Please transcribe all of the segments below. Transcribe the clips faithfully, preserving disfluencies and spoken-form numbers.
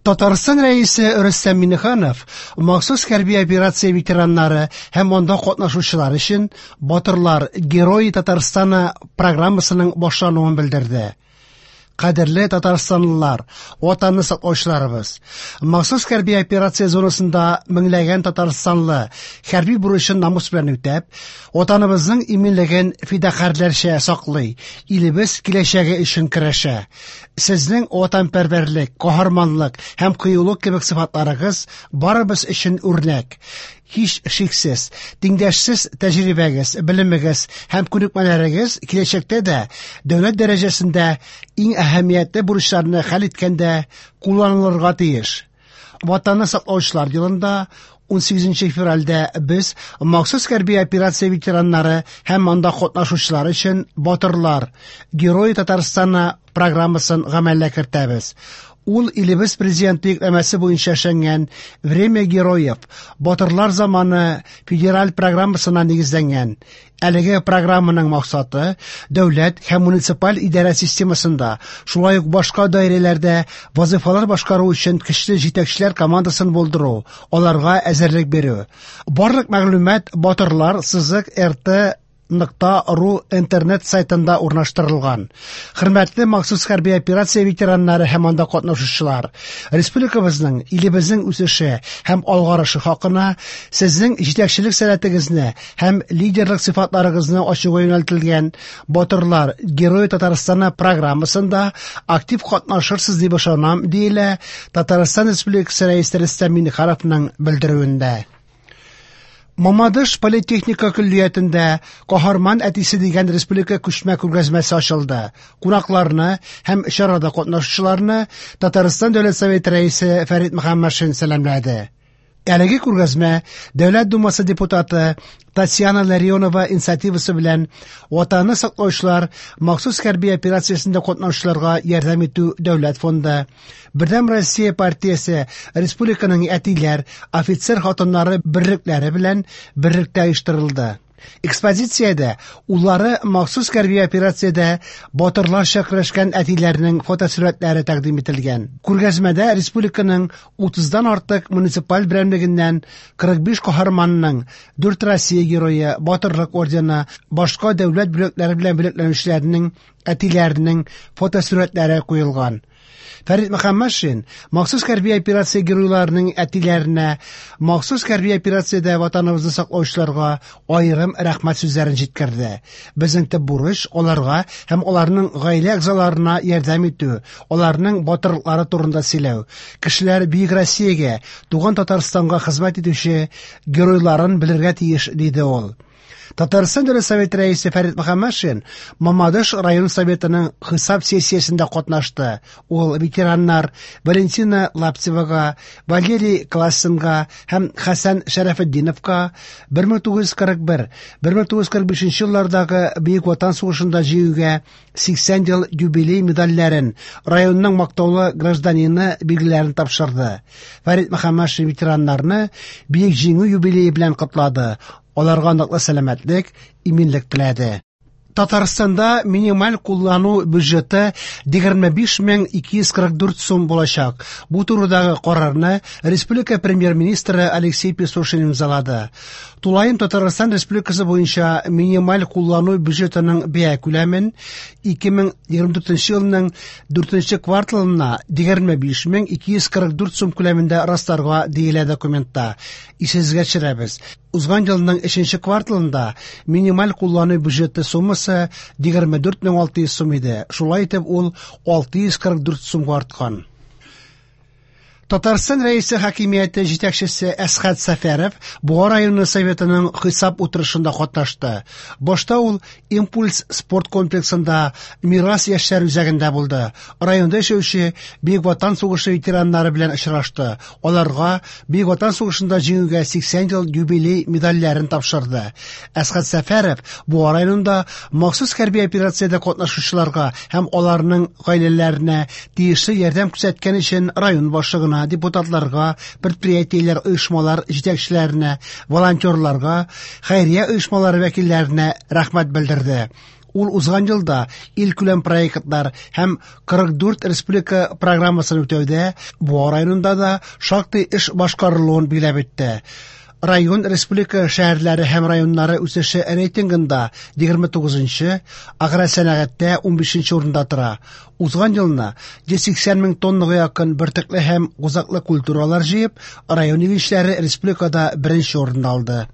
Татарстан Рәисе Рөстәм Миңнеханов махсус хәрби операция ветераннары һәм анда катнашучылар өчен «Батырлар Герои Татарстана» программасының башлануын белдерде. Кадерле татарстанлылар, Ватанны саклаучыларыбыз! Махсус хәрби операция зонасында меңләгән татарстанлы хәрби бурычын намус белән үтәп, Ватаныбызның иминлеген фидакарьләрчә саклый, илебез киләчәге өчен көрәшә. Сезнең ватанпәрвәрлек, каһарманлык һәм кыюлык кебек сыйфатларыгыз барыбыз өчен үрнәк. Һич шиксез, тиңдәшсез тәҗрибәгез, белемегез һәм күнекмәләрегез киләчәктә дә дәүләт дәрәҗәсендә иң әһәмиятле бурычларны хәл иткәндә кулланылырга тиеш. Ватанны саклаучылар елында унсигезенче февральдә без махсус хәрби операция ветераннары һәм анда катнашучылар өчен «Батырлар Герои Татарстана» программасын гамәлгә кертәбез. Ул илебез президенты йөкләмәсе буенча эшләнгән «Время героев» Батырлар заманы федераль программасына нигезләнгән. Әлеге программаның максаты дәүләт һәм муниципаль идарә системасында, шулай ук башка даирәләрдә вазифалар башкару өчен көчле җитәкчеләр командасын булдыру, аларга әзерлек бирү. Барлык мәгълүмат батырлар сызык р т нокта ру интернет сайтында урнаштырылган. Хөрмәтле махсус хәрби операция ветераннары һәм анда катнашучылар, республикабызның, илебезнең үсеше һәм алгарышы хакына сезнең җитәкчелек сәләтегезне һәм лидерлык сыйфатларыгызны ачуга юнәлтелгән «Батырлар Герои Татарстана» программасында актив катнашырсыз дип ышанам, диелә Татарстан Республикасы Рәисе Рөстәм Миңнехановның белдерүендә. Мамадыш политехника көллиятендә «Каһарман әтисе» дигән республика күчмә күргәзмәсе ачылды. Кунакларны һәм чарада катнашучыларны Татарстан Дәүләт Советы Рәисе Фәрит Мөхәммәтшин сәламләде. Әлеге күргәзмә Дәүләт Думасы депутаты Татьяна Ларионова инициативасы белән «Ватанны саклаучылар» махсус хәрби операциясендә катнашучыларга ярдәм итү дәүләт фонды, Бердәм Россия партиясе республиканың әтиләр, офицер хатыннары берлекләре белән берлектә оештырылды. Экспозициядә уллары махсус хәрби операциядә батырларча көрәшкән әтиләрнең фотосурәтләре тәкъдим ителгән. Күргәзмәдә республиканың утыздан артык муниципаль берәмлегеннән кырык биш каһарманның, дүрт Россия герое, Батырлык ордены, башка дәүләт бүләкләре белән бүләкләнүчеләрнең әтиләренең фотосурәтләре куелган. Фәрит Мөхәммәтшин махсус хәрби операция геройларының әтиләренә, махсус хәрби операциядә ватаныбызны саклаучыларга аерым рәхмәт сүзләрен җиткерде. Безнең төп бурыч аларга һәм аларның гаилә әгъзаларына ярдәм итү, аларның батырлыклары турында сөйләү. Кешеләр бөек Россиягә, туган Татарстанга хезмәт итүче геройларын белергә тиеш, диде ул. Татарстан Дәүләт Советы Рәисе Фәрит Мөхәммәтшин Мамадыш район советының хисап сессиясендә катнашты. Ул ветераннар Валентина Лаптевага, Валерий Классенга һәм Хәсән Шәрәфетдиновка бер мең тугыз йөз кырык бер, бер мең тугыз йөз кырык бишенче еллардагы Бөек Ватан сугышында җиңүгә сиксән ел юбилей медальләрен, районның мактаулы гражданины билгеләрен тапшырды. Фәрит Мөхәммәтшин ветераннарны Бөек Җиңү юбилее белән котлады. Аларга ныклы сәламәтлек, иминлек теләде. Татарстанда минималь куллану бюджеты егерме биш мең ике йөз кырык дүрт сум булачак. Бу турыдагы карарны республика премьер-министры Алексей Песошин имзалады. Тулаем Татарстан Республикасы буенча минималь куллану бюджетының бәя күләмен ике мең егерме дүртенче елның дүртенче кварталына егерме биш мең ике йөз кырык дүрт сум күләмендә расларга диелә документта. Исегезгә төшерәбез. Узган елның өченче кварталында минималь куллану бюджеты суммасы егерме дүрт мең алты йөз сум иде. Шулай итеп ул алты йөз кырык дүрт сумга арткан. Татарстан Рәисе хакимияте җитәкчесе Әсхәт Сәфәров Буа районы советының хисап утырышында катнашты. Башта ул «Импульс» спорт комплексында «Мирас» яшьләр үзәгендә булды. Районда яшәүче Бөек Ватан сугышы ветераннары белән очрашты. Аларга Бөек Ватан сугышында җиңүгә сиксән ел юбилей медальләрен тапшырды. Әсхәт Сәфәров Буа районында махсус хәрби операциядә катнашучыларга һәм аларның гаиләләренә тиешле ярдәм күрсәткән өчен район башлыгына, депутатларга, предприятиеләр, оешмалар җитәкчеләренә, волонтерларга, хәйрия оешмалары вәкилләренә рәхмәт белдерде. Ул узган елда илкүләм проектлар һәм кырык дүрт республика программасын үтәүдә Буа районында да шактый эш башкарылуын билгеләп үтте. Район республика шәһәрләре һәм районнары үсеше рейтингында егерме тугызынчы, агросәнәгатьтә унбишенче урында тора. Узган елны йөз сиксән мең тоннага якын бөртекле һәм кузаклы культуралар җыеп, район игенчеләре республикада беренче урынны алды.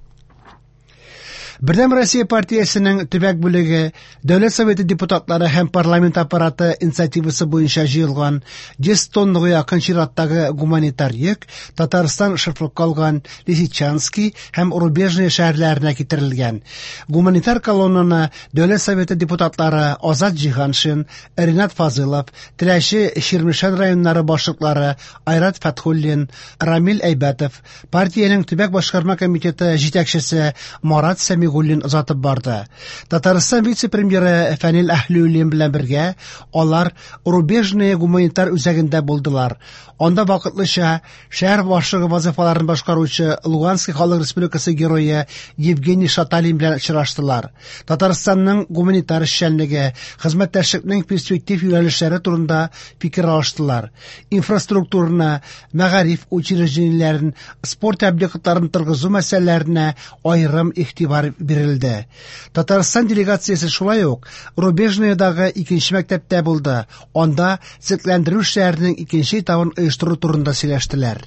Бердәм Россия партиясенең төбәк бүлеге, Дәүләт Советы депутатлары һәм парламент аппараты инициативасы буенча җыелган йөз тоннага якын чираттагы гуманитар йөк Татарстан шефлыкка алган Лисичанский һәм Рубежное шәһәрләренә китерелгән. Гуманитар колоннаны Дәүләт Советы депутатлары Азат Җиһаншин, Ринат Фазылов, Теләче, Чирмешән районнары башлыклары Айрат Фәтхуллин, Рамил Әйбәтов, партиянең төбәк башкарма комитеты җитәкчесе Марат Сәмигуллин озатып барды. Татарстан вице-премьеры Фәнил Әһлиуллин белән бергә алар Рубежное гуманитар үзәгендә булдылар. Анда вакытлыча шәһәр башлыгы вазифаларын башкаручы Луганский халык республикасы герое Евгений Шаталин белән очраштылар. Татарстанның гуманитар эшчәнлеге, хезмәттәшлекнең перспектив юнәлешләре турында фикер алыштылар. Инфраструктураны, мәгариф учреждениеләрен, спорт объектларын торгызу мәсьәләләренә аерым игътибар бирелде. Татарстан делегациясе шулай ук Рубежныйдагы икенче мәктәптә булды. Анда төзекләндерү эшләренең икенче этабын оештыру турында сөйләштеләр.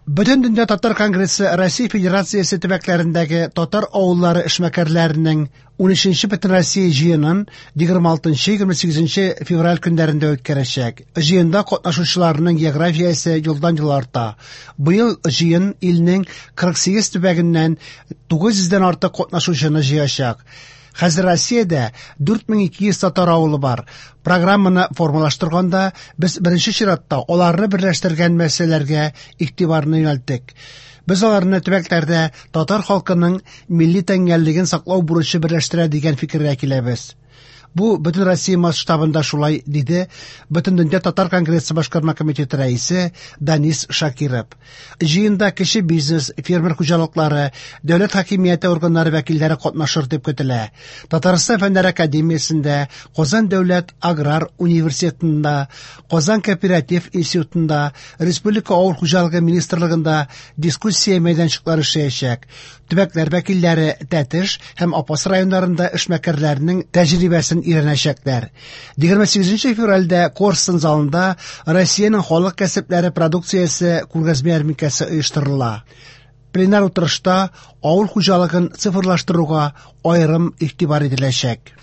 Бөтендөнья татар конгрессы Россия Федерациясе төбәкләрендәге татар авыллары эшмәкәрләренең унөченче Бөтенроссия җыенын егерме алтынчы егерме сигезенче февраль көннәрендә үткәрәчәк. Җыенда катнашучыларның географиясе елдан-ел арта. Быел җыен илнең кырык сигез төбәгеннән тугыз йөздән артык катнашучыны җыячак. Хәзер Россиядә дүрт мең ике йөз татар авылы бар. Программаны формалаштырганда без беренче чиратта аларны берләштергән мәсьәләләргә игътибарны юнәлттек. Без аларны төбәкләрдә татар халкының милли тәңгәллеген саклау бурычы берләштерә дигән фикергә киләбез. Бу бөтен Россия масштабында шулай, диде Бөтендөнья татар конгрессы башкарма комитеты рәисе Данис Шакиров. Җыенда кече бизнес, фермер хуҗалыклары, дәүләт хакимияте органнары вәкилләре катнашыр дип көтелә. Татарстан Фәннәр академиясендә, Казан дәүләт аграр университетында, Казан кооператив институтында, Республика авыл хуҗалыгы министрлыгында дискуссия мәйданчыклары эшләячәк. Төбәкләр вәкилләре Тәтеш һәм Апас районнарында эшмәкәрләрнең тәҗрибәсен өйрәнәчәкләр. Егерме сигезенче февральдә Корстон залында Россиянең халык кәсепләре продукциясе күргәзмә ярминкәсе оештырыла. Пленар утырышта авыл хуҗалыгын цифрлаштыруга аерым игътибар ителәчәк.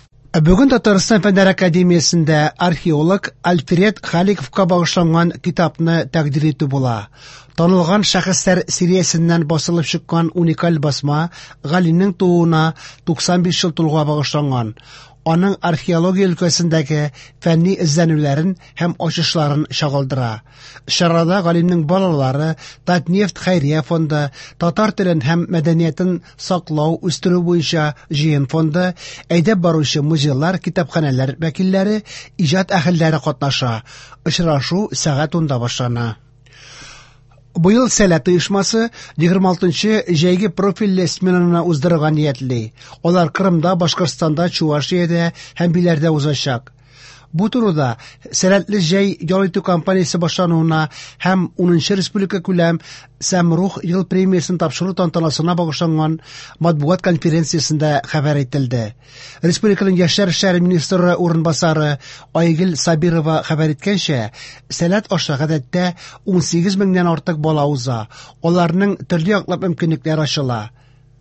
Бүген Татарстан Фәннәр академиясендә археолог Альфред Халиковка багышланган китапны тәкъдир итү була. Танылган шәхесләр сериясеннән басылып чыккан уникаль басма галимнең тууына туксан биш ел тулуга багышланган. Аның археология өлкәсендәге фәнни эзләнүләрен һәм ачышларын чагылдыра. Чарада галимнең балалары, Татнефть хәйрия фонды, татар телен һәм мәдәниятен саклау, үстерү буенча җыен фонды, әйдәп баручы музейлар, китапханәләр вәкилләре, иҗат әһелләре катнаша. Очрашу сәгать унда башлана. Быел Сәләт оешмасы егерме алтынчы җәйге профильле сменаны уздырырга ниятли. Алар Кырымда, Башкортстанда, Чувашиядә һәм Биләрдә узачак. Бу турыда Сәләтле җәй ял итү кампаниясе башлануына һәм унынчы республика күләм Сәмрух ел премиясен тапшыру тантанасына багышланган матбугат конференциясендә хәбәр ителде. Республиканың яшьләр эшләре министры урынбасары Айгөл Сабирова хәбәр иткәнчә, Сәләт аша гадәттә ун сигез меңнән артык бала уза. Аларның төрле яклап мөмкинлекләре ачыла.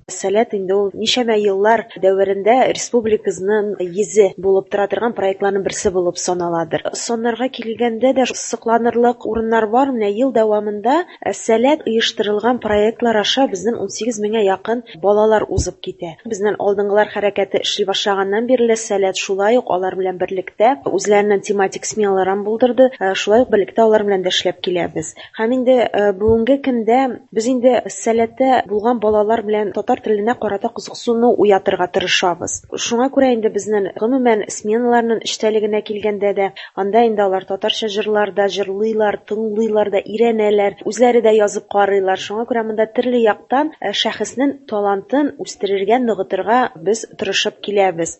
Сәләт инде ул ничәмә еллар дәверендә республикабызның йөзе булып тора торган проектларның берсе булып саналадыр. Соннарга килгәндә дә сокланырлык урыннар бар. Менә ел дәвамында Сәләт оештырылган проектлар аша безнең ун сигез меңгә якын балалар узып китә. Безнең алдынгылар хәрәкәте эшли башлаганнан бирле Сәләт шулай ук алар белән берлектә үзләренең тематик сменаларын булдырды. Шулай ук берлектә алар белән дә эшләп киләбез. Һәм инде бүгенге көндә без инде Сәләттә булган балалар белән татар теленә карата кызыксыну уятырга тырышабыз. Шуңа күрә инде безнең гомумән сменаларның эчтәлегенә килгәндә дә, анда инде алар татарча җырлар да җырлыйлар, тыңлыйлар да, өйрәнәләр, үзләре дә язып карыйлар. Шуңа күрә монда төрле яктан, э, шәхеснең талантын үстерергә, ныгытырга без тырышып киләбез.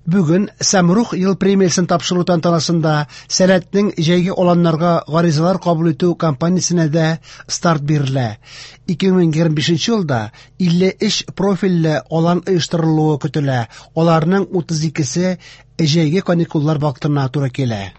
Бүген Сәмрух ел премиясен тапшыру тантанасында Сәләтнең җәйге аланнарга гаризалар кабул итү кампаниясенә дә старт бирелә. ике мең егерме бишенче елда илле өч профильле алан оештырылуы көтелә. Аларның утыз икесе җәйге каникуллар вакытына туры килә.